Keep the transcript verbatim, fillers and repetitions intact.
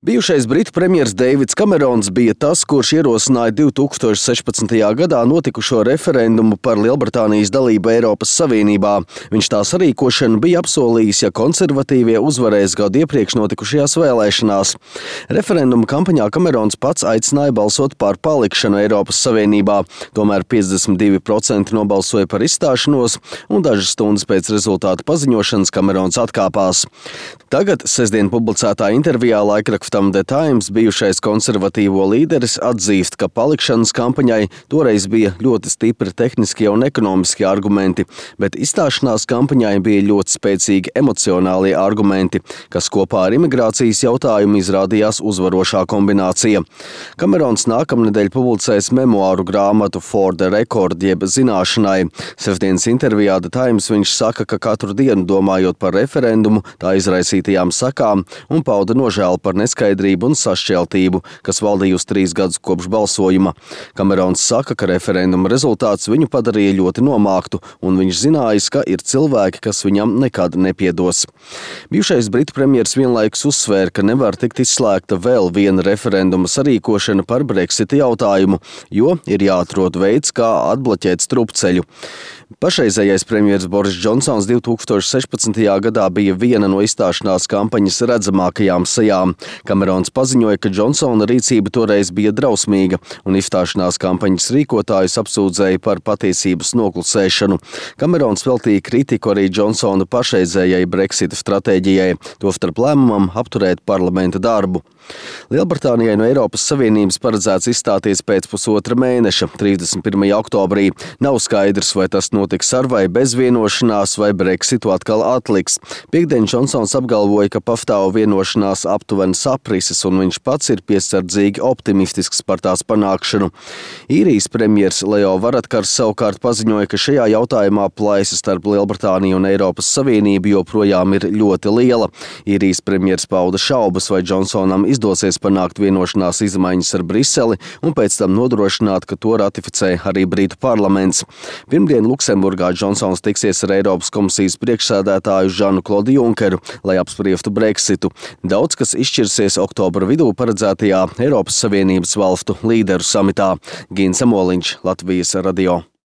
Bijušais britu premjers Deivids Kamerons bija tas, kurš ierosināja divi tūkstoši sešpadsmitajā gadā notikušo referendumu par Lielbritānijas dalību Eiropas Savienībā. Viņš tā sarīkošanu bija apsolījis, ja konservatīvie uzvarēs gadu iepriekš notikušajās vēlēšanās. Referenduma kampaņā Kamerons pats aicināja balsot par palikšanu Eiropas Savienībā. Tomēr piecdesmit divi procenti nobalsoja par izstāšanos, un dažas stundas pēc rezultātu paziņošanas Kamerons atkāpās. Tagad sestdien publicētā intervijā laikrakstam The Times bijušais konservatīvo līderis atzīst, ka palikšanas kampaņai toreiz bija ļoti stipri tehniskie un ekonomiskie argumenti, bet izstāšanās kampaņai bija ļoti spēcīgi emocionālie argumenti, kas kopā ar imigrācijas jautājumu izrādījās uzvarošā kombinācija. Kamerons nākamnedēļ publicēs memoāru grāmatu For the Record, jeb zināšanai. Sestdienas intervijā The Times viņš saka, ka katru dienu domājot par referendumu, tā izraisītajām sakām un pauda nožēlu par neskaidrību un sašķeltību, kas valdījusi trīs gadus kopš balsojuma. Kamerons saka, ka referenduma rezultāts viņu padarīja ļoti nomāktu, un viņš zinājis, ka ir cilvēki, kas viņam nekad nepiedos. Bijušais britu premjers vienlaikus uzsvēra, ka nevar tikt izslēgta vēl viena referenduma sarīkošana par Brexita jautājumu, jo ir jāatrod veids, kā atbloķēt strupceļu. Pašreizējais premjers Boris Džonsons divi tūkstoši sešpadsmitajā gadā bija viena no izstāšanās kampaņas redzamākajām sejām. Kamerons paziņoja, ka Džonsona rīcība toreiz bija drausmīga, un izstāšanās kampaņas rīkotājus apsūdzēja par patiesības noklusēšanu. Kamerons veltīja kritiku arī Džonsona pašreizējai Brexita stratēģijai, tostarp lēmumam apturēt parlamenta darbu. Lielbritānijai no Eiropas Savienības paredzēts izstāties pēc pusotra mēneša, trīsdesmit pirmajā oktobrī. Nav skaidrs, vai tas notiks ar vai bez vienošanās, vai Brexitu atkal atliks. Piektdien Džonsons apgalvoja, ka pastāv vienošanās aptuveni saprises, un viņš pats ir piesardzīgi optimistisks par tās panākšanu. Īrijas premjers Leo Varadkars savukārt paziņoja, ka šajā jautājumā plaisa starp Lielbritāniju un Eiropas Savienību joprojām ir ļoti liela. Īrijas premjers pauda šaubas, vai Džonsonam izdosies panākt vienošanās izmaiņas ar Briseli un pēc tam nodrošināt, ka to ratificē arī Britu parlaments. Pirmdien Luksemburgā Džonsons tiksies ar Eiropas komisijas priekšsēdētāju Žanu Klodu Junkeru, lai apspriestu Brexitu. Daudz kas izšķirsies oktobra vidū paredzētajā Eiropas Savienības valstu līderu samitā. Gins Amoliņš, Latvijas radio.